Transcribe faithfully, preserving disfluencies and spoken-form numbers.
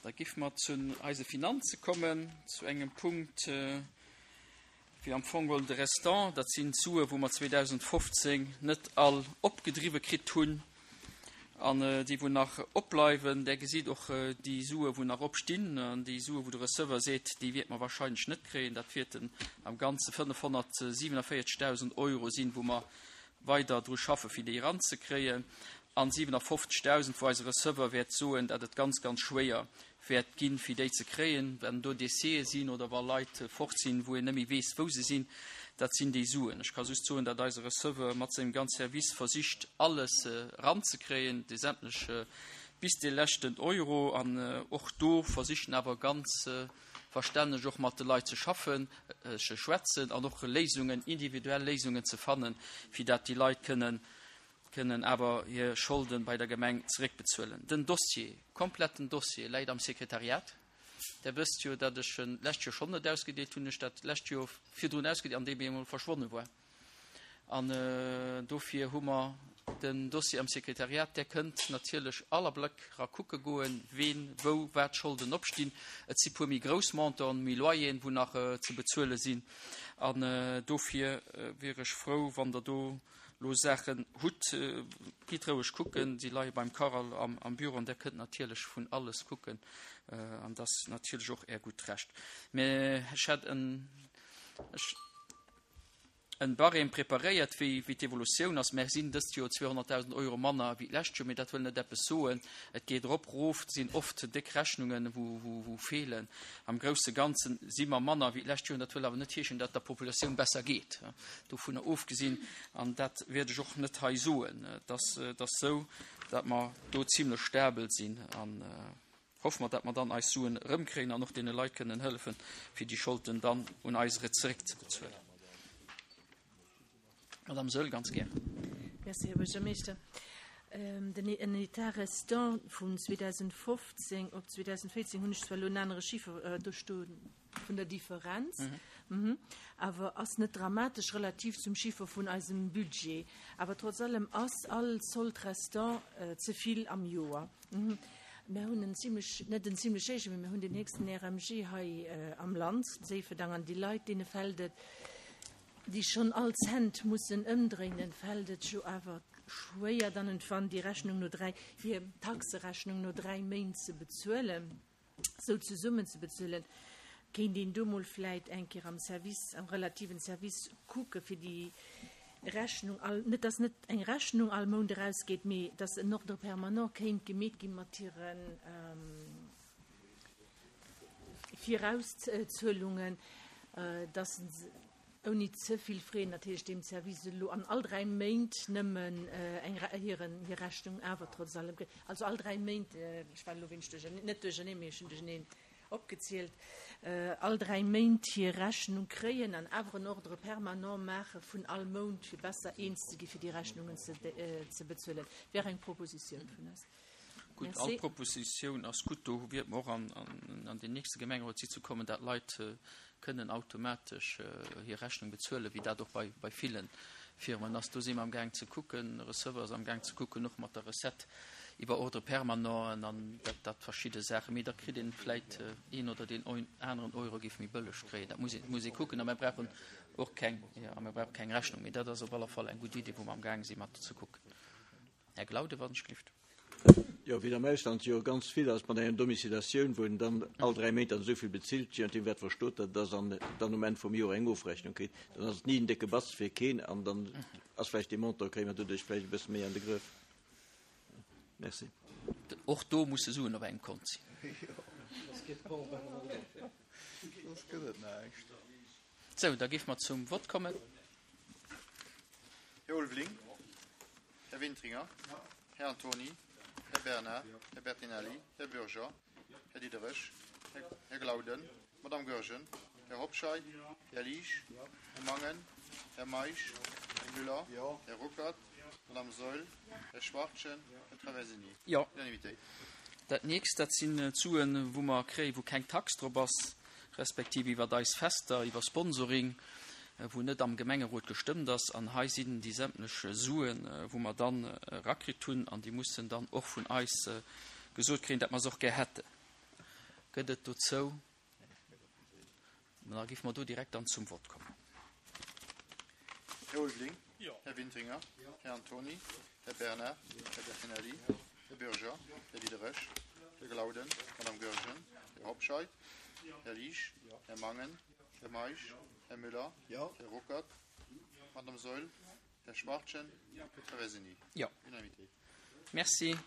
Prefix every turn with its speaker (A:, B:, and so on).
A: Da géife mer zu eise Finanze kommen, zu engem Punkt, wéi am Fong geholl de Restant, dat sinn d'Sue wou mer zweedausendfofzéng net all opgedriwwe kritt hunn an déi wou nach opbleiwen. Där gesitt och déi Sue wou nach opstinn an déi Sue wou de Receveur seet, déi wäerte mer wahrscheinlech net kréien. Dat wäerten am Ganze fënnefhonnertsiewenavéierzegdausend Euro sinn, wou mer weider dru schaffe fir déi eranzekréien, an siwenafofzegdausend, wou eise Receveur wäert soen, datt et ganz, ganz schwéier wäert ginn, fir déi ze kréien, wenn do Décèse sinn oder wa Leit fort sinn, wou een net méi weess, wou se sinn. Dat sinn déi Suen. Ech ka just soen, datt eise Receveur mat sengem ganz Service versicht, alles eranzekréien, déi sämtlech bis dee leschten Euro, an och do versicht en awer ganz verstänneg och mat de Leit ze schaffen, ze schwätzen an och Léisungen, individuell Léisungen ze fannen, fir dat déi Leit kënnen kënnen awer hir Scholden bei der Gemeng zeréckbezuelen. Den Dossier, kompletten Dossier läit am Sekretariat. Der wësst jo, datt ech en d'lescht Joer schonn net ausgedeelt hunn, ech dat d'lescht Joer virdrun ausgedeelt, an deem eemol verschwonne war. An dofir hu mer den Dossier am Sekretariat. Där kënnt natierlech all Ablack ra kucke goen, ween, wou, wat Scholden opstinn. Et si puer méi grouss Montanten, méi Loyeren, wou nach ze bezuele sinn. An dofir wier ech frou, wann Der do lo Saachen hutt. Gitt roueg kucken, si leie beim Carole am Büro an Der kënnt natierlech vun alles kucken. An dat ass natierlech och Är gutt Recht. Mä ech hätt en, ech. En Barème preparéiert, wéi wéi d'Evolutioun ass. Mär sinn dëst Joer zweehonnertdausend Euro manner wéi d'lescht Joer, mee dat wëll net eppes soen. Et geet erop, erof, et sinn oft déck Rechnungen, wou wou wou feelen. Am grousse Ganze si mer manner wéi d'lescht Joer, dat wëll awer net heeschen, datt der Populatioun besser geet, dovunner ofgesinn. An dat wäert ech och net hei soen. Et ass et ass sou, datt mer do zimlech stabel sinn an hoffe mer, datt mer dann eis Suen erëmkréien an och deene Leit kënnen hëllefen, fir déi Scholden dann un eis erë zeréckzebezuelen. Madame Saeul, ganz gär.
B: Merci, Här Buergermeeschter. Den État restant vun zweedausendfofzéng op zweedausendvéierzéng hunn ech zwar elo en anere Chiffer do stoen vun der Differenz, awer ass net dramatesch relativ zum Chiffer vun eisem Budget. Awer trotz allem ass all Solde restant ze vill am Joer. Mir hunn en zimlech, net en zimlech héijen, mee mir hunn deen héchsten R M G hei am Land, Séifferdang, an déi Leit, deene fält et, déi schonn all Cent mussen ëmdréinen, fält et jo awer schwéier dann iergendwann déi Rechnung no dräi, hir Taxerechnung no dräi Méint ze bezuelen, sou zesummen ze bezuelen. Kéint een do mol vläit eng Kéier am Service, am relativen Service kucke fir déi Rechnung all, net dass net eng Rechnung all Mount erausgeet, mee dass en Ordre permanent kéint gemeet gi mat hiren Virauszuelungen, dass se ouni ze vill Frais natierlech deem Service elo an all dräi Méint nëmmen eng hiren hir Rechnung awer trotz allem kréien. Also all dräi Méint, ech war elo wéineg duercherneen, net duercherneen, mee ech hunn duercherneen opgezielt, all dräi Méint hir Rechnung kréien an awer en Ordre permanent maache vun all Mount, fir besser eens ze gi fir déi Rechnungen ze ze bezuelen. Wär eng Propositioun vun eis.
A: Gutt, all Propositioun ass gutt. Do wäerte mer och an an den nächste Gemengerotssitzung kommen, dat d'Leit kënnen automatesch hir Rechnung bezuelen, wéi dat och bei bei ville Firmen ass. Do si mer amgaang ze kucken, Receveur ass amgaang ze kucken, och mat der Recette iwwer Ordre permanenten an dat dat verschidde Saachen. Mee da kritt een vläit een oder deen aneren Euro géif méi bëlleg kréien. Dat muss ee muss ee kucken. A mer brauchen och keng, jo, a mer brauche keng Rechnung. Mee dat ass op alle Fall eng gutt Idee, wou mer amgaang si mat ze kucken. Här Glauden, wann ech gelift.
C: Jo, wéi et am Ausland jo ganz vill ass mat enger Domiciliatioun, wou een dann all dräi Méint dann esou vill bezilt, je nachdem wat verstottert ass, an dann um Enn vum Joer eng Ofrechnung kritt. Dann ass et ni en décke Batz fir keen an dann ass vläicht dee Montant, kréie mer doduerch vläicht e bësse méi an de Grëff. Merci.
A: Och do musse Suen op engem Kont sinn. Sou, da géife mer zum Vott kommen.
D: Här Ulveling. Här Wintringer, Här Antony, Här Bernard, Här Bertinelli, Här Bürger, Här Diderich, Här Glauden, Madame Goergen, Här Hobscheit, Här Liesch, Här Mangen, Här Meisch, Här Müller, Här Ruckert, Madame Saeul, Här Schwachtgen, Här Traversini.
A: Jo.
D: Unanimitéit.
A: Dat nächst, dat sinn d'Suen, wou mer kréien, wou keng Tax drop ass, respektiv iwwert eis Fester, iwwer Sponsoring, wou net am Gemengerot gestëmmt ass. An hei sinn déi sämtlech Suen, wou mer dann erakritt hunn, an déi mussen dann och vun eis gesot kréien, dat mer se och gär hätten. Gëtt et dozou? Da géife mer do direkt dann zum Vott kommen.
D: Här Ulveling. Här Wintringer. Här Antoni. Här Bernard. Här Bertinelli. Här Bürger. Här Diderich. Här Glauden. Madame Goergen. Här Hobscheit. Här Liesch. Här Mangen. Här Meisch. Här Müller. Här Ruckert. Madame Saeul. Här Schwachtgen. Här Traversini.
A: Jo.
D: Unanimité.
A: Merci.